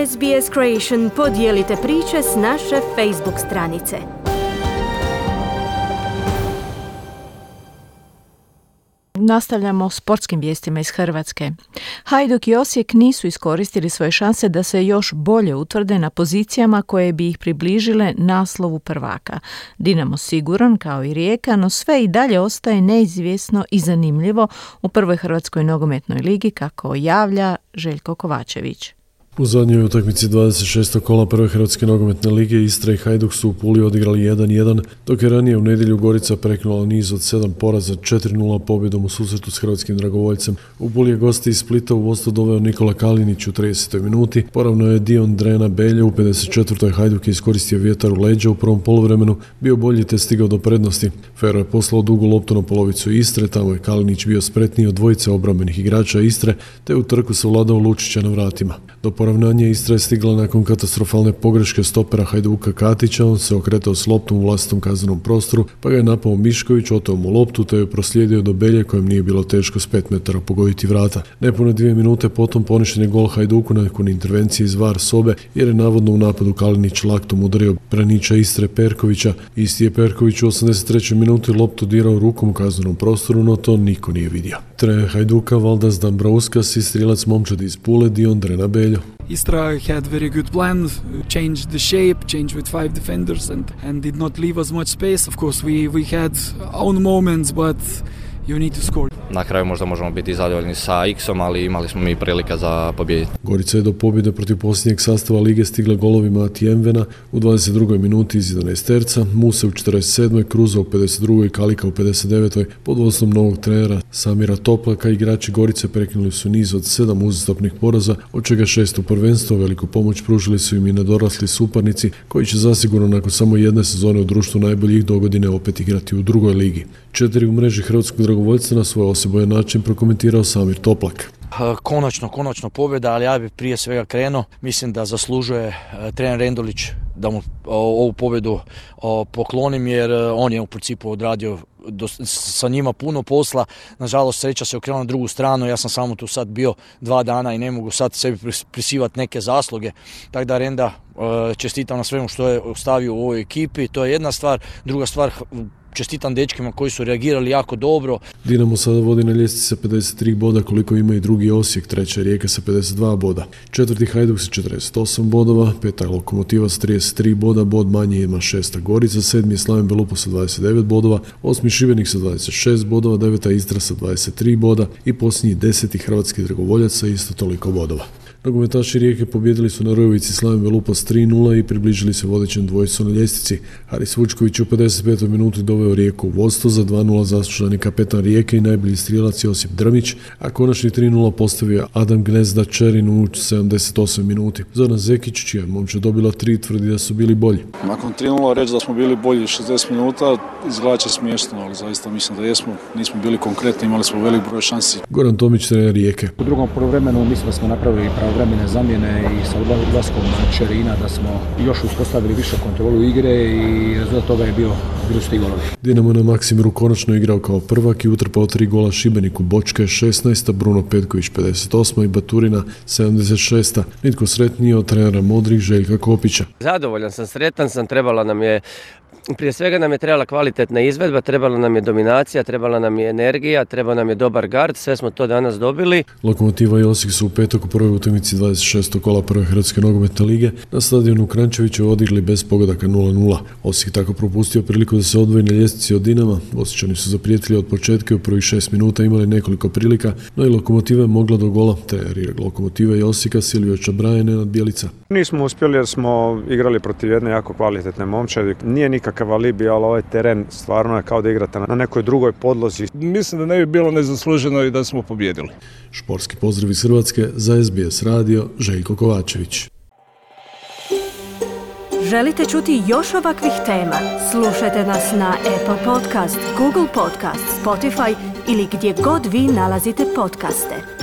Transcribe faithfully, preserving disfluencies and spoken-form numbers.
S B S Creation podijelite priče s naše Facebook stranice. Nastavljamo sportskim vijestima iz Hrvatske. Hajduk i Osijek nisu iskoristili svoje šanse da se još bolje utvrde na pozicijama koje bi ih približile naslovu prvaka. Dinamo siguran kao i Rijeka, no sve i dalje ostaje neizvjesno i zanimljivo u prvoj Hrvatskoj nogometnoj ligi, kako javlja Željko Kovačević. U zadnjoj utakmici dvadeset šestog kola prve Hrvatske nogometne lige Istra i Hajduk su u Puli odigrali jedan jedan, dok je ranije u nedjelju Gorica prekinula niz od sedam poraza četiri nula pobjedom u susretu s hrvatskim dragovoljcem. U Puli je gosti iz Splita u vodstvo doveo Nikola Kalinić u tridesetoj minuti, poravno je Dion Drena Belje u pedeset četvrtoj Hajduk je iskoristio vjetar u leđa u prvom poluvremenu, bio bolji te stigao do prednosti. Fero je poslao dugu loptu na polovicu Istre, tamo je Kalinić bio spretniji od dvojice obrambenih igrača Istre, te u trku savladao Lučića na vratima. Do poravnanja Istra je stigla nakon katastrofalne pogreške stopera Hajduka Katića, on se okretao s loptom u vlastitom kaznenom prostoru, pa ga je napao Mišković, oteo mu loptu te je proslijedio do Belje kojem nije bilo teško s pet metara pogoditi vrata. Nepune dvije minute potom poništen je gol Hajduku nakon intervencije iz V A R sobe jer je navodno u napadu Kalinić laktom udario braniča Istre Perkovića. Isti je Perković u osamdeset trećoj minuti loptu dirao rukom u kaznenom prostoru, no to niko nije vidio. Trener Hajduka Valdas Dambrauskas i strilac momčadi iz Pule Dion Drena Beljo. Istra had very good plan, changed the shape, changed with five defenders and, and did not leave us much space. Of course, we, we had own moments, but you need to score. Na kraju možda možemo biti zadovoljni sa X-om, ali imali smo mi prilika za pobjediti. Gorica je do pobjede protiv posljednjeg sastava lige stigla golovima Atijemvena u dvadeset drugoj minuti iz jedanaesterca, Muse u četrdeset sedmoj, Kruza u pedeset drugoj, Kalika u pedeset devetoj Pod vodstvom novog trenera Samira Toplaka igrači Gorice prekinuli su niz od sedam uzastopnih poraza, od čega šest u prvenstvu. Veliku pomoć pružili su im i nedorasli suparnici koji će zasigurno nakon samo jedne sezone u društvu najboljih dogodine opet igrati u drugoj ligi. Četiri u mreži hrvatskog dragovoljca na svoj osebojan način prokomentirao Samir Toplak. Konačno, konačno pobjeda, ali ja bih prije svega krenuo. Mislim da zaslužuje trener Rendulić da mu ovu pobjedu poklonim jer on je u principu odradio do, sa njima puno posla. Nažalost, sreća se okrenula na drugu stranu. Ja sam samo tu sad bio dva dana i ne mogu sad sebi prisivati neke zasluge. Tako da Renda čestitam na svemu što je ostavio u ovoj ekipi. To je jedna stvar. Druga stvar, čestitam dečkima koji su reagirali jako dobro. Dinamo sada vodi na ljestvici sa pedeset tri boda koliko ima i drugi Osijek, treća Rijeka sa pedeset dva boda. Četvrti Hajduk sa četrdeset osam bodova, peta Lokomotiva sa trideset tri boda, bod manje ima šesta Gorica, sedmi je Slaven Belupo sa dvadeset devet bodova, osmi Šibenik sa dvadeset šest bodova, deveta Istra sa dvadeset tri boda i posljednji deseti Hrvatski dragovoljac sa isto toliko bodova. Nogometaši Rijeke pobjedili su na Rojovici Slaven Belupo s tri nula i približili se vodećem dvojicu na ljestvici. Haris Vučković u pedeset petoj minuti doveo Rijeku u vodstvo, za dva nula zaslužani kapetan Rijeke i najbolji strijelac Josip Drmić, a konačni tri nula postavio Adam Gnezda Čerin u sedamdeset osmoj minuti. Zoran Zekić, čija je momčad dobila tri, tvrdi da su bili bolji. Nakon tri nula reći da smo bili bolji šezdeset minuta izgleda će smiješno, ali zaista mislim da jesmo. Nismo bili konkretni, imali smo velik broj šansi. Goran Tomić, trener Rijeke. U drugom poluvremenu mislim da smo napravili pravovremene zamjene i sa odlaskom Čerina da smo još uspostavili više kontrolu igre i rezultat toga je bio bili su ti golovi. Dinamo na Maksimiru konačno igrao kao prvak i utrpao tri gola Šibeniku. Bočka je šesnaesta, Bruno Petković pedeset osma i Baturina sedamdeset šesta Nitko sretniji od trenera Modrih Željka Kopića. Zadovoljan sam, sretan sam, trebala nam je Prije svega nam je trebala kvalitetna izvedba, trebala nam je dominacija, trebala nam je energija, trebao nam je dobar gard, sve smo to danas dobili. Lokomotiva i Osijek su u petak u prvoj utakmici dvadeset šestog kola prve Hrvatske nogometne lige na stadionu Kranjčevića odigrali bez pogodaka nula nula. Osijek tako propustio priliku da se odvoji na ljestvici od Dinama. Osječani su zaprijetili od početka i u prvih šest minuta imali nekoliko prilika, no i Lokomotiva je mogla do gola. Trener Lokomotive i Osijeka Silvio Čabraje, Nenad Bjelica. Nismo uspjeli jer smo igrali protiv jedne jako kvalitetne momčadi. Nije nikakav alibi, ali ovaj teren stvarno je kao da igrate na nekoj drugoj podlozi. Mislim da ne bi bilo nezasluženo i da smo pobjedili. Športski pozdrav iz Hrvatske za S B S radio, Željko Kovačević. Želite čuti još ovakvih tema? Slušajte nas na Apple Podcast, Google Podcast, Spotify ili gdje god vi nalazite podcaste.